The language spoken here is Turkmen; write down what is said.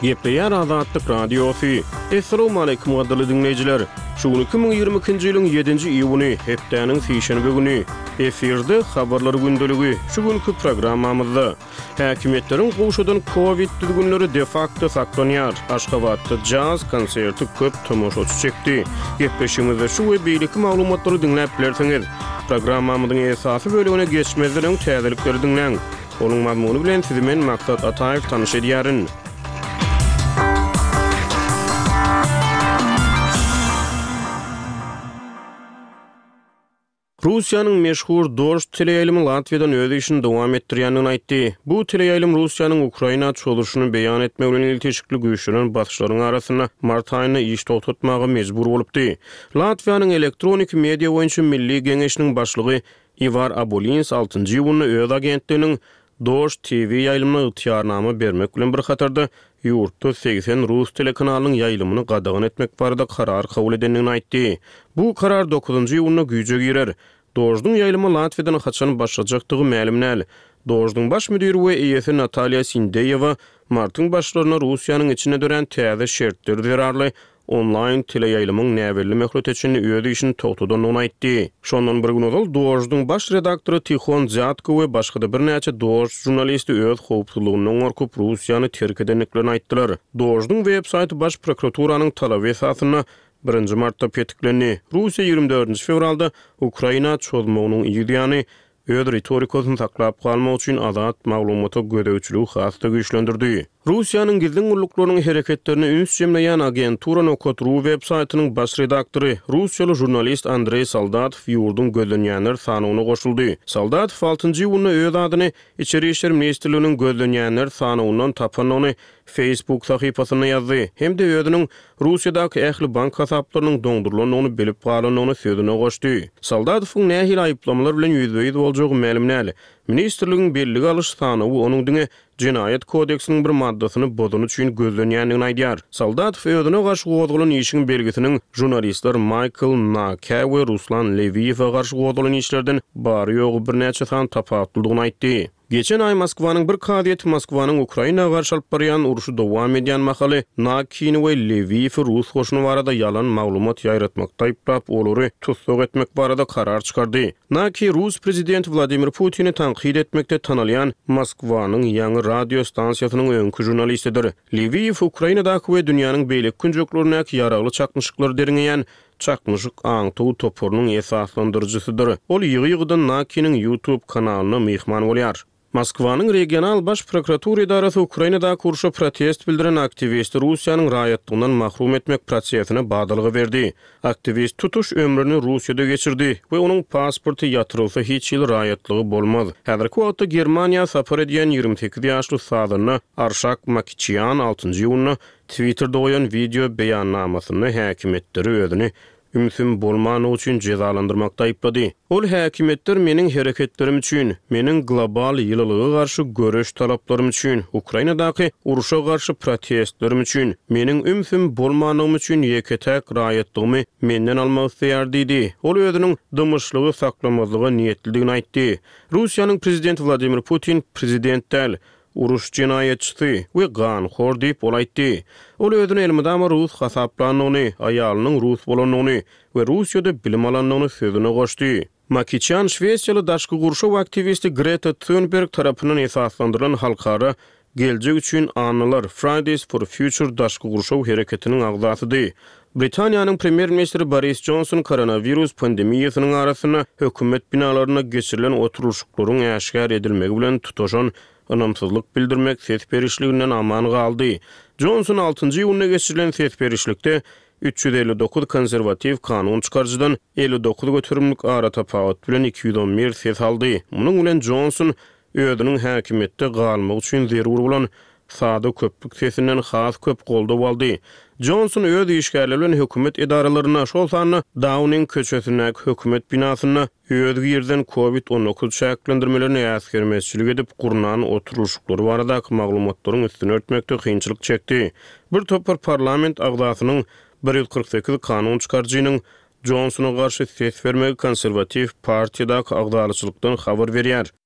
Gepleýär Azatlyk Radiosy. Essalawmaleýkim gadyrly diňleýjiler! Şu gün 2022-nji ýylyň ýedinji iýuny, hepdäniň sişenbe güni. Efirde Habarlar gündeligi. Şu günki programmamyzda. Häkimiýetleriň gowşadan kowid düzgünleri de-fakto saklanýar. Aşgabatda jaz konserti köp tomaşaçy çekdi. Gepleşigimizde şu we beýleki maglumatlary diňläp bilersiňiz. Programmamyzyň esasy bölegine geçmezden öň täzelikleri diňläň. Onuň mazmuny bilen sizi men Maksat Ataýew tanyş edýärin. Russiýanyň meşhur Dožd teleýaýlymy Latwiýadan öz işini dowam etdirýändigini aýtdy. Bu teleýaýlym Russiýanyň Ukraina çozuşyny beýan etmek bilen ilteşikli güýçlenen basyşlaryň arasynda mart aýynda iş togtatmaga mejbur bolupdy. Latwiýanyň Elektroniki media boýunça milli geňeşiniň başlygy Iwar Abolins altynjy iýunda öz agentliginiň Dožd TV ýaýlymyna ygtyýarnama bermek bilen bir hatarda, ýurtda 80 rus telekanalynyň ýaýlymyny gadagan etmek barada karar kabul edendigini aýtdy. Bu karar dokuzynjy iýunda güýje girer. Dožduň ýaýlyma Latwiýadan haçan başlajakdygy mälim däl. Dožduň baş müdiri we eýesi Natalýa Sindeýewa martyň başlarynda Russiýanyň içinde dörän täze şertler zerarly onlaýn teleýaýlymyň näbelli möhlete çenli öz işini togtadandygyny aýtdy. Şondan bir gün ozal Doždyň baş redaktory Tihon Dzýatko we başga-da birnäçe Dožd žurnalisti öz howpsuzlygyndan gorkup, Russiýany terk edendiklerini aýtdylar. Doždyň web-saýty Baş prokuraturanyň talaby esasynda birinji martda petiklendi. Russiýa 24 fewralda Ukraina çozmagynyň yz ýany, öz ritorikasyny saklap galmak üçin azat maglumata gözegçiligi has-da güýçlendirdi. Russiýanyň gizlin gulluklarynyň hereketlerine üns jemleýän Agentura nokat ru web saýtynyň baş redaktory, russiýaly žurnalist Andreý Soldatow ýurduň gözlenýänler sanawyna goşuldy. Soldatow altynjy iýunda öz adyny Içeri işler ministrliginiň gözlenýänler sanawyndan tapandygyny Facebook sahypasynda ýazdy hem-de özüniň Russiýadaky ähli bank hasaplarynyň doňdurylandygyny bilip galandygyny sözüne goşdy. Soldatowyň nähili aýyplamalar bilen ýüzbe-ýüz boljagy mälim däl. Ministrligiň bellige alyş sanawy onuň diňe Jenaýat kodeksiniň bir maddasyny bozany üçin gözlenýändigini aýdýar. Soldatow özüne garşy gozgalan işiň belgisiniň žurnalistler Maýkl Nakä we Ruslan Lewiýewe garşy gozgalan işlerden bary-ýogy birnäçe san tapawutlydygyny aýtdy. Geçen aý Moskwanyň bir kazyýeti Moskwanyň Ukraina garşy alyp barýan urşy dowam edýän mahaly Nakini we Lewiýewi rus goşuny barada ýalan maglumat ýaýratmakda aýyplap, olary tussag etmek barada karar çykardy. Naki rus prezidenti Wladimir Putini tankyt etmekde tanalýan Moskwanyň ýaňy radio stansiýasynyň öňki žurnalistidir. Lewiýew Ukrainadaky we dünýäniň beýleki künjeklerindäki ýaragly çaknyşyklary derňeýän Çaknyşyk aňtaw toparynyň esaslandyryjysydyr. Ol ýygy-ýygydan Nakiniň YouTube kanalyna myhman bolýar. Moskwanyň regional baş prokuratura edarasy Ukrainadaky urşa protest bildiren aktiwisti Russiýanyň raýatlygyndan mahrum etmek prosesine badalga berdi. Aktiwist tutuş ömrüni Russiýada geçirdi we onuň pasporty ýatyrylsa hiç hili raýatlygy bolmaz. Häzirki wagtda Germaniýa sapar edýän 28 ýaşly sazanda Arşak Makiçýan altynjy iýunda Twitterde goýan wideo beýannamasynda häkimiýetleri özüni ümsüm bolmanlygy üçin jezalandyrmakda aýyplady. Ol häkimiýetler meniň hereketlerim üçin, meniň global ýylylyga garşy göreş talaplarym üçin, Ukrainadaky urşa garşy protestlerim üçin, meniň ümsüm bolmanlygym üçin ýeke-täk raýatlygymy menden almak isleýär diýdi. Ol özüniň dymyşlygy saklamazlyga niýetlidigini aýtdy. Russiýanyň prezidenti Wladimir Putin prezident däl, Uruş jenaýatçysy we ganhor diýip, ol aýtdy. Ol özüni elmydama rus hasaplandygyny, aýalynyň rus bolandygyny we Russiýada bilim alandygyny sözüne goşdy. Makiçan şwesiýaly daşky gurşaw aktiwisti Greta Thunberg tarapyndan esaslandyrylan halkara Geljek üçin annalar, Fridays for Future daşky gurşaw hereketiniň agzasydy. Britaniýanyň premýer-ministri Boris Jonson koronawirus pandemiýasynyň arasynda hökümet binalarynda geçirilen oturylyşyklaryň äşgär edilmegi bilen tutaşan ynamsyzlyk bildirmek ses berişliginden aman galdy. Jonson altynjy iýunda geçirilen ses berişlikde 359 konserwatiw kanun çykaryjydan 59 göterimlik aratapawut bilen 211 ses aldy. Munuň bilen Jonson özüniň häkimiýetde galmagy üçin zerur bolan sada köplük sesinden has köp goldaw aldy. Jonson öz işgärleri bilen hökümet edaralarynda, şol sanda Dauning köçesindäki hökümet binasynda öz girizen Covid 19 çäklendirmelerini äsgermezçilik edip gurnan oturylyşyklary baradaky maglumatlaryň üstüni örtmekde kynçylyk çekdi. Bir topar parlament agzasynyň, 148 kanun çykaryjynyň Jonsona garşy ses bermegi konserwatiw partiýadaky agzalaçylykdan habar berýär.